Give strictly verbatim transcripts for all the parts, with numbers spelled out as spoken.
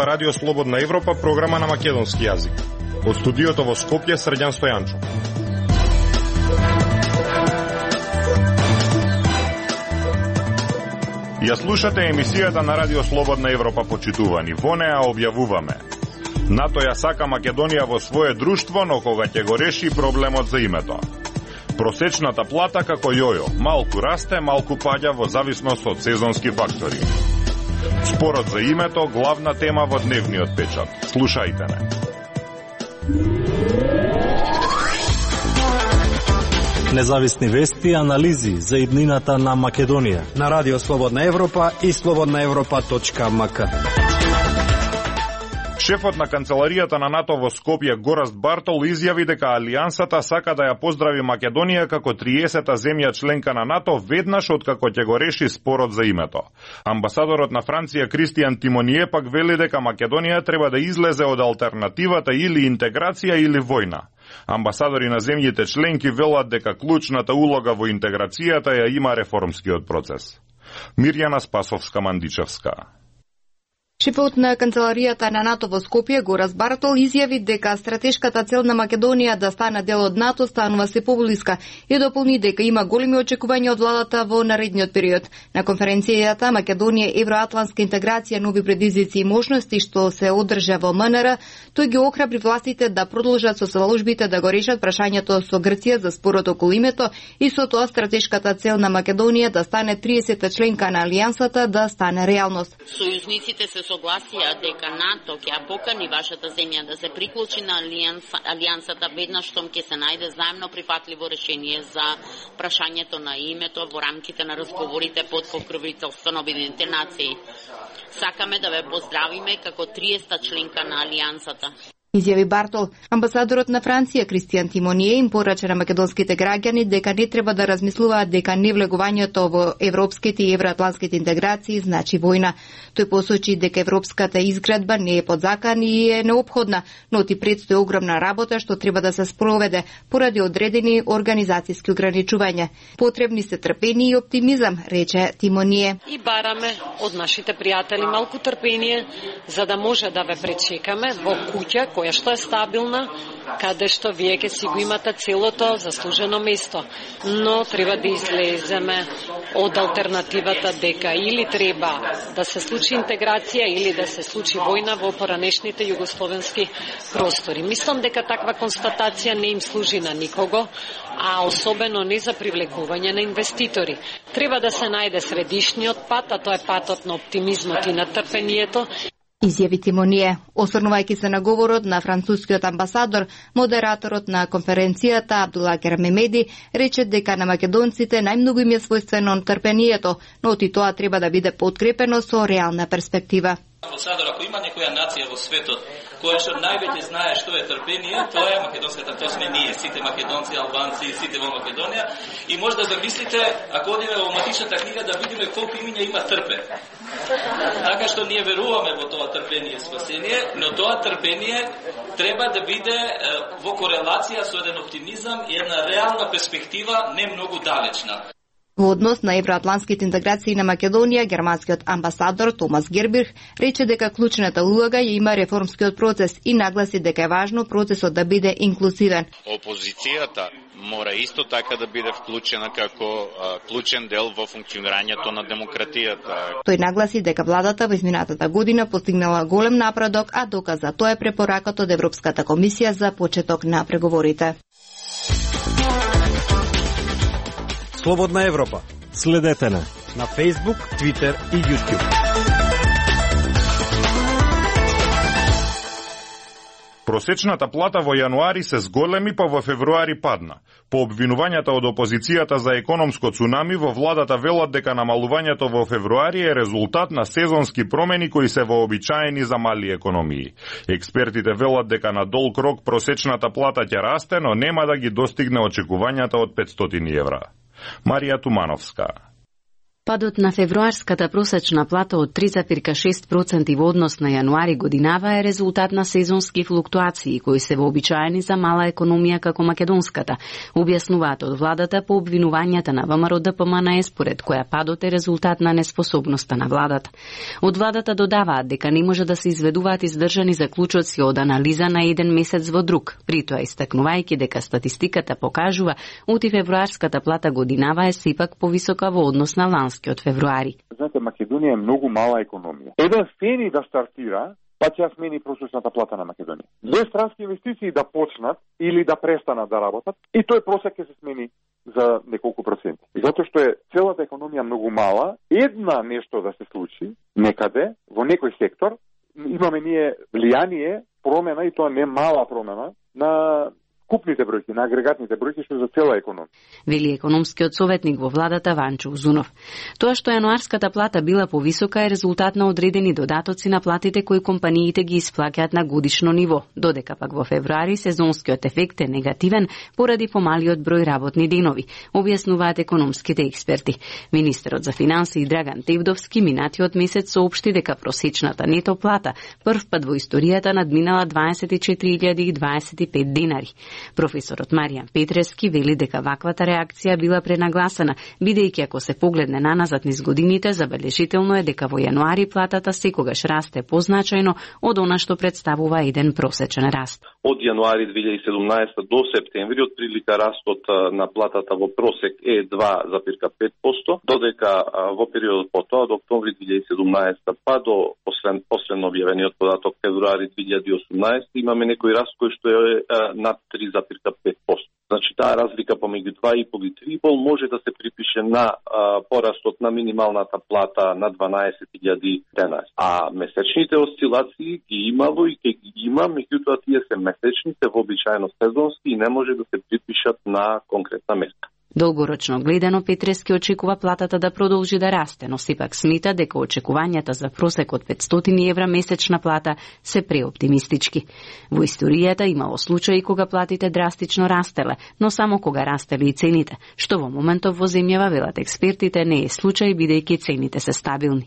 слуша Радио Слободна Европа, програма на македонски јазик. Од студиото во Скопје, Срđan Стојанчов. Ја слушате емисијата на Радио Слободна Европа, почитувани. Во неа објавуваме: НАТО ја сака Македонија во свое друштво, но кога ќе го реши проблемот за името. Просечната плата како јојо, малку расте, малку паѓа во зависност од сезонски фактори. Спорот за името, главна тема во дневниот печат. Слушајте не. Независни вести и анализи за иднината на Македонија на Радио Слободна Европа и слободна европа точка ем ка. Шефот на канцеларијата на НАТО во Скопје, Гораст Бартол, изјави дека Алијансата сака да ја поздрави Македонија како триесета земја членка на НАТО веднаш откако ќе го реши спорот за името. Амбасадорот на Франција Кристијан Тимоние пак вели дека Македонија треба да излезе од алтернативата или интеграција или војна. Амбасадори на земјите членки велат дека клучната улога во интеграцијата ја има реформскиот процес. Мирјана Спасовска-Мандичевска. Шефот на канцеларијата на НАТО во Скопје, Гораст Бартол, изјави дека стратешката цел на Македонија да стане дел од НАТО станува се поблиска и дополни дека има големи очекувања од владата во наредниот период. На конференцијата Македонија, евроатлантска интеграција, нови предизвици и можности што се одржа во ем ен ер, тој ги охрабри властите да продолжат со заложбите да го решат прашањето со Грција за спорот околу името и со тоа стратешката цел на Македонија да стане триесета членка на Алијансата да стане реалност. Сојузниците се согласија дека НАТО ќе ја покани вашата земја да се приклучи на алијанса, алијансата веднаш штом ќе се најде заемно прифатливо решение за прашањето на името во рамките на разговорите под покровителство на Обединетите нации. Сакаме да ве поздравиме како триесета членка на алијансата. Изјави Бартол. Амбасадорот на Франција Кристијан Тимоние им порача на македонските граѓани дека не треба да размислуваат дека невлегувањето во европските и евроатлантските интеграции значи војна. Тој посочи дека европската изградба не е под закан и е неопходна, но ти предстои огромна работа што треба да се спроведе поради одредени организацијски ограничувања. Потребни се трпение и оптимизам, рече Тимоние. И бараме од нашите пријатели малку трпение за да може да ве пречекаме во куќа која што е стабилна, каде што вие ќе си го имате целото заслужено место. Но треба да излеземе од алтернативата дека или треба да се случи интеграција или да се случи војна во поранешните југословенски простори. Мислам дека таква констатација не им служи на никого, а особено не за привлекување на инвеститори. Треба да се најде средишниот пат, а тоа е патот на оптимизмот и на трпението. Изјави Тимоние. Осврнувајќи се на говорот на францускиот амбасадор, модераторот на конференцијата Абдулакер Мемеди рече дека на македонците најмногу им е својствено трпението, но и тоа треба да биде подкрепено со реална перспектива. Амбасадор, ако има некоја нација во светот која што највеќе знае што е трпение, тоа е македонската, тоа сме ние, сите македонци, албанци, сите во Македонија. И може да замислите, ако одиме во матичната книга, да видиме колку имиња има трпе. Така што ние веруваме во тоа трпение и спасение, но тоа трпение треба да биде во корелација со еден оптимизам и една реална перспектива, не многу далечна. Во однос на евроатлантските интеграции на Македонија, германскиот амбасадор Томас Гербих рече дека клучната улога ја има реформскиот процес и нагласи дека е важно процесот да биде инклузивен. Опозицијата мора исто така да биде вклучена како а, клучен дел во функционирањето на демократијата. Тој нагласи дека владата во изминатата година постигнала голем напредок, а доказ за тоа е препораката од Европската комисија за почеток на преговорите. Слободна Европа. Следете на на Facebook, Twitter и YouTube. Просечната плата во јануари се зголеми, па во февруари падна. По обвинувањата од опозицијата за економско цунами, во владата велат дека намалувањето во февруари е резултат на сезонски промени кои се вообичаени за мали економии. Експертите велат дека на долг рок просечната плата ќе расте, но нема да ги достигне очекувањата од петстотини евра. Марија Тумановска. Падот на февруарската просечна плата од три зарез шест проценти во однос на јануари годинава е резултат на сезонски флуктуации кои се вообичаени за мала економија како македонската, објаснуваат од владата по обвинувањата на ВМРО Д П М Н Е, според која падот е резултат на неспособноста на владата. Од владата додаваат дека не може да се изведуваат издржани заклучоци од анализа на еден месец во друг, притоа истакнувајќи дека статистиката покажува оти февруарската плата годинава е сепак повисока во однос на ланската од февруари. Знаете, Македонија е многу мала економија. Еден фени да стартира, па ќе смени просечната плата на Македонија. Две странски инвестиции да почнат или да престанат да работат, и тој просек ќе се смени за неколку проценти. И затоа што е целата економија многу мала, една нешто да се случи некаде во некој сектор, имаме ние влијание, промена, и тоа не мала промена на купните бројки, на агрегатните бројки, што за цела економија. Вели економскиот советник во владата Ванчо Узунов. Тоа што јануарската плата била повисока е резултат на одредени додатоци на платите кои компаниите ги исплаќаат на годишно ниво, додека пак во февруари сезонскиот ефект е негативен поради помалиот број работни денови, објаснуваат економските експерти. Министерот за финансии Драган Тевдовски минатиот месец соопшти дека просечната нето плата прв пат во историјата надминала дваесет и четири илјади и дваесет и пет динари. Професорот Маријан Петрески вели дека ваквата реакција била пренагласена, бидејќи ако се погледне наназад низ годините, забележително е дека во јануари платата секогаш расте позначајно од она што представува еден просечен раст. Од јануари две илјади и седумнаесета до септември отприлика растот на платата во просек е два зарез пет проценти, додека во периодот потоа од октомври две илјади и седумнаесета па до послед последно објавениот податок февруари две илјади и осумнаесета имаме некој раст кој што е над три зарез пет проценти. Значи таа разлика помеѓу два и пол и три и пол може да се припише на а, порастот на минималната плата на дванаесет илјади денари. А месечните осцилации ги имало и ќе ги има, меѓутоа тие се месечни, се вообичаено сезонски и не може да се припишат на конкретна места. Долгорочно гледано, Петрески очекува платата да продолжи да расте, но сепак смета дека очекувањата за просек од петстотини евра месечна плата се преоптимистички. Во историјата имало случаи кога платите драстично растеле, но само кога растеле и цените, што во моментов во земјава, велат експертите, не е случај бидејќи цените се стабилни.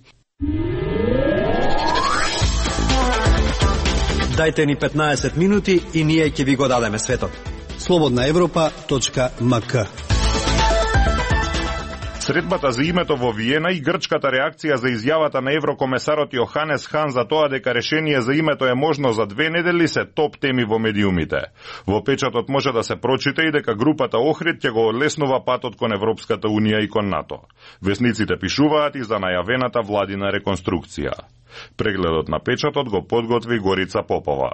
Дајте ни петнаесет минути и ние ќе ви го дадеме светот. слободна европа точка ем ка. Средбата за името во Виена и грчката реакција за изјавата на еврокомесарот Јоханес Хан за тоа дека решение за името е можно за две недели се топ теми во медиумите. Во печатот може да се прочита и дека групата Охрид ќе го олеснува патот кон Европската унија и кон НАТО. Весниците пишуваат и за најавената владина реконструкција. Прегледот на печатот го подготви Горица Попова.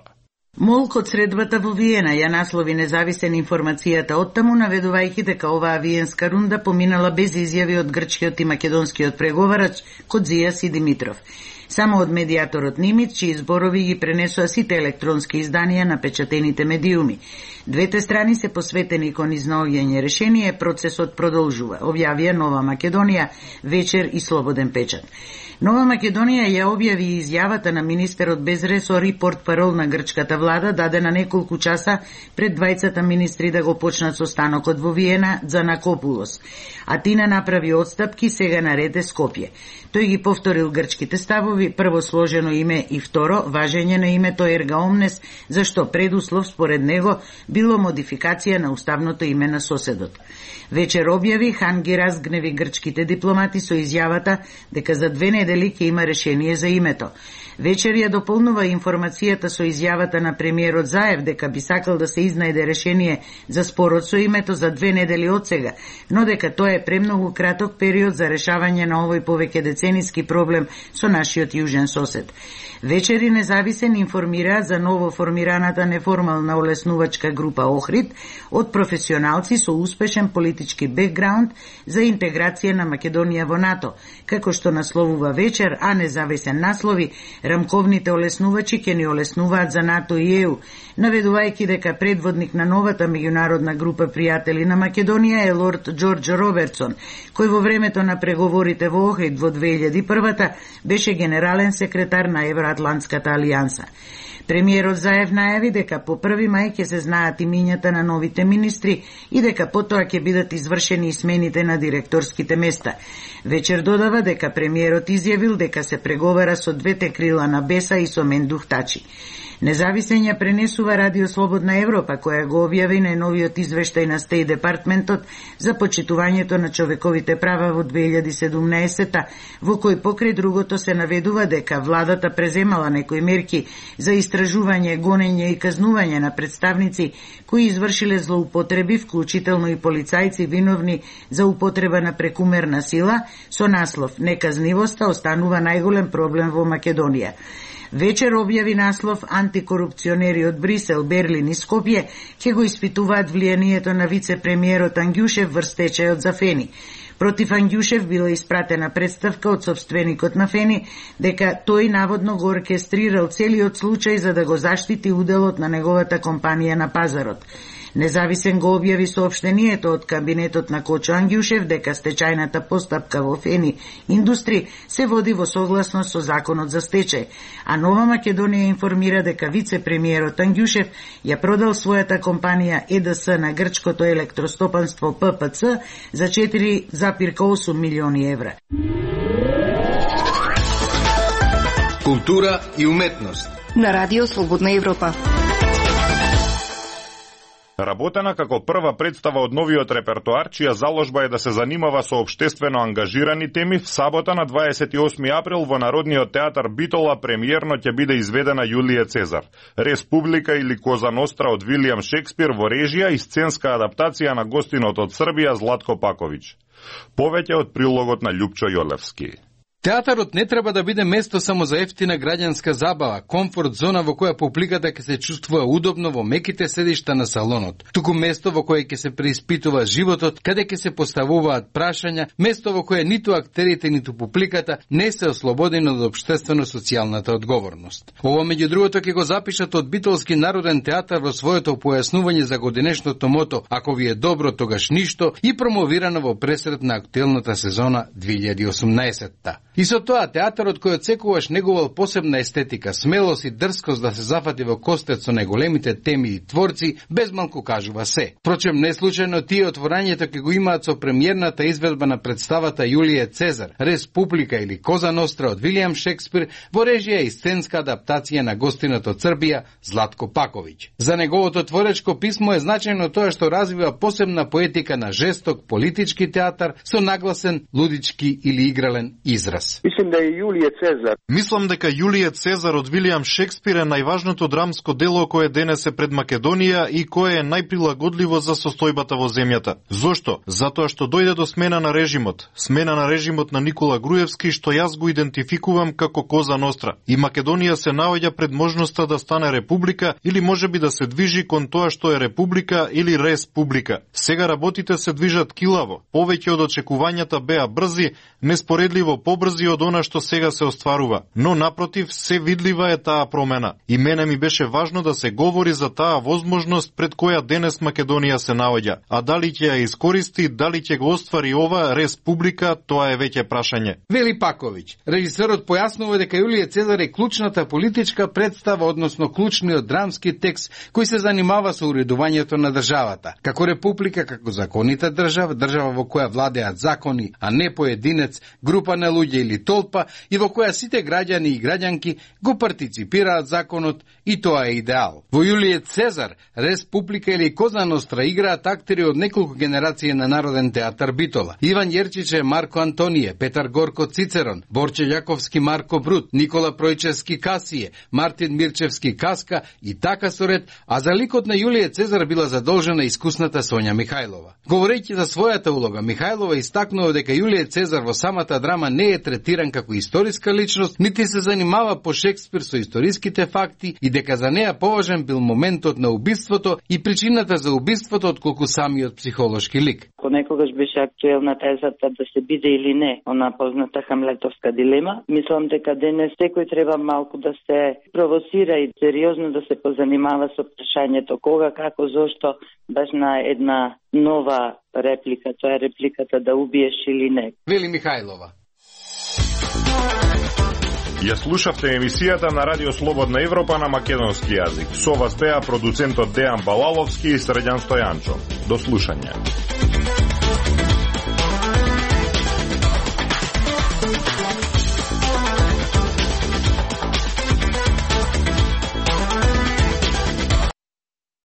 Молк од средбата во Виена ја наслови независен информацијата оттаму, наведувајќи дека оваа виенска рунда поминала без изјави од грчкиот и македонскиот преговарач Кодзија Сидимитров. Само од медијаторот Нимиц, чии зборови ги пренесоа сите електронски изданија на печатените медиуми. Двете страни се посветени кон изнаоѓање решение, процесот продолжува, објавија Нова Македонија, Вечер и Слободен печат. Нова Македонија ја објави изјавата на министерот без ресор и портпарол на грчката влада, дадена неколку часа пред двајцата министри да го почнат состанокот во Виена за Накопулос. Атина направи отстапки, сега наред е Скопје. Тој ги повторил грчките ставови, прво сложено име и второ, важење на името Ерга Омнес, зашто предуслов според него било модификација на уставното име на соседот. Вечер објави, Хан ги разгневи грчките дипломати со изјавата дека за две недели ќе има решение за името. Вечер ја дополнува информацијата со изјавата на премиерот Заев дека би сакал да се изнајде решение за спорот со името за две недели од сега, но дека тоа е премногу краток период за решавање на овој повеќе децениски проблем со нашиот јужен сосед. Вечер и независен информира за ново формираната неформална олеснувачка група Охрид од професионалци со успешен политички бекграунд за интеграција на Македонија во НАТО, како што насловува Вечер, а независен наслови рамковните олеснувачи ќе ни олеснуваат за НАТО и Е У, наведувајќи дека предводник на новата меѓународна група пријатели на Македонија е лорд Џорџ Робертсон, кој во времето на преговорите во Охрид во две илјади и прва беше генерален секретар на Евроатлантската алијанса. Премиерот Заев најави дека по први мај ќе се знаат имињата на новите министри и дека потоа ќе бидат извршени и смените на директорските места. Вечер додава дека премиерот изјавил дека се преговара со двете крила на Беса и со Мендух Тачи. Независен ја пренесува Радио Слободна Европа, која го објави најновиот извештај на Стејт Департментот за почитувањето на човековите права во две илјади и седумнаесета, во кој покрај другото се наведува дека владата преземала некои мерки за истражување, гонење и казнување на представници кои извршиле злоупотреби, вклучително и полицајци виновни за употреба на прекумерна сила, со наслов "Неказнивоста останува најголем проблем во Македонија". Вечер објави наслов "Антикорупционери од Брисел, Берлин и Скопје ќе го испитуваат влијанието на вице-премиерот Ангјушев врз стечајот за Фени". Против Ангјушев била испратена представка од сопственикот на Фени дека тој наводно го оркестрирал целиот случај за да го заштити уделот на неговата компанија на пазарот. Независен го објави соопштението од кабинетот на Кочо Ангјушев дека стечајната постапка во Фени Индустри се води во согласност со законот за стечај, а Нова Македонија информира дека вице-премиерот Ангјушев ја продал својата компанија Е Д С на грчкото електростопанство П П Ц за четири зарез осум милиони евра. Култура и уметност на Радио Слободна Европа. Работена како прва представа од новиот репертоар, чија заложба е да се занимава со општествено ангажирани теми, в сабота на дваесет и осми април во Народниот театар Битола премиерно ќе биде изведена Јулије Цезар. Республика или Коза Ностра од Вилијам Шекспир во режија и сценска адаптација на гостинот од Србија Златко Паковиќ. Повеќе од прилогот на Љупчо Јолевски. Театарот не треба да биде место само за ефтина граѓанска забава, комфорт зона во која публиката ќе се чувствува удобно во меките седишта на салонот. Туку место во кое ќе се преиспитува животот, каде ќе се поставуваат прашања, место во кое ниту актерите, ниту публиката не се ослободени од општествено-социјалната одговорност. Ова меѓу другото ќе го запишат од Битолски народен театар во своето појаснување за годинешното мото "Ако ви е добро, тогаш ништо" и промовирано во пресред на актуелната сезона две илјади и осумнаесетта. И со тоа театарот кој одсекуваш негувал посебна естетика, смелост и дрскост да се зафати во костец со најголемите теми и творци, безмалку кажува се. Впрочем, не случајно тие отворањето ќе го имаат со премиерната изведба на представата Јулије Цезар, Республика или Коза Ностра од Вилијам Шекспир во режија и сценска адаптација на гостинот од Србија Златко Паковиќ. За неговото творечко писмо е значајно тоа што развива посебна поетика на жесток политички театар со нагласен лудички или игрален израз. Мислам да е Јулије Цезар. Мислам дека Јулије Цезар од Вилијам Шекспир е најважното драмско дело кое денес е пред Македонија и кое е најприлагодливо за состојбата во земјата. Зошто? Затоа што дојде до смена на режимот. Смена на режимот на Никола Груевски, што јас го идентификувам како Коза Ностра. И Македонија се наоѓа пред можноста да стане република или можеби да се движи кон тоа што е република или республика. Сега работите се движат килаво. Повеќе од очекувањата беа брзи, неспоредливо побрзи од она што сега се остварува. Но напротив, се видлива е таа промена. И мене ми беше важно да се говори за таа возможност пред која денес Македонија се наоѓа. А дали ќе ја искористи, дали ќе го оствари ова республика, тоа е веќе прашање. Вели Паковиќ. Режисерот појаснува дека Јулије Цезар е клучната политичка представа, односно клучниот драмски текст кој се занимава со уредувањето на државата. Како република, како законита држава, држава во која владеат закони, а не поединец, група на луѓе или толпа, и во која сите граѓани и граѓанки го партиципираат законот, и тоа е идеал. Во Јулије Цезар, Республика или Коза Ностра играат актери од неколку генерации на Народен театар Битола. Иван Јерчиче Марко Антонije, Петар Горко Цицерон, Борче Јаковски Марко Брут, Никола Пројчевски Касије, Мартин Мирчевски Каска и така соред, а за ликот на Јулије Цезар била задолжена искусната Сонја Михајлова. Говорејќи за својата улога, Михајлова истакнува дека Јулије Цезар во самата драма не е третиран како историска личност, нити се занимава по Шекспир со историските факти и дека за неа поважен бил моментот на убиството и причината за убиството отколку самиот психолошки лик. Понекогаш беше актуелна тезата да се биде или не она позната хамлетовска дилема. Мислам дека денес секој треба малку да се провоцира и сериозно да се позанимава со прашањето кога, како, зошто, баш на една нова реплика, тоа е репликата да убиеш или не. Вели Михајлова. Ја слушавте емисијата на Радио Слободна Европа на македонски јазик. Со вас беа продуцентот Дејан Балаловски и Срđan Стојанчо. До слушање.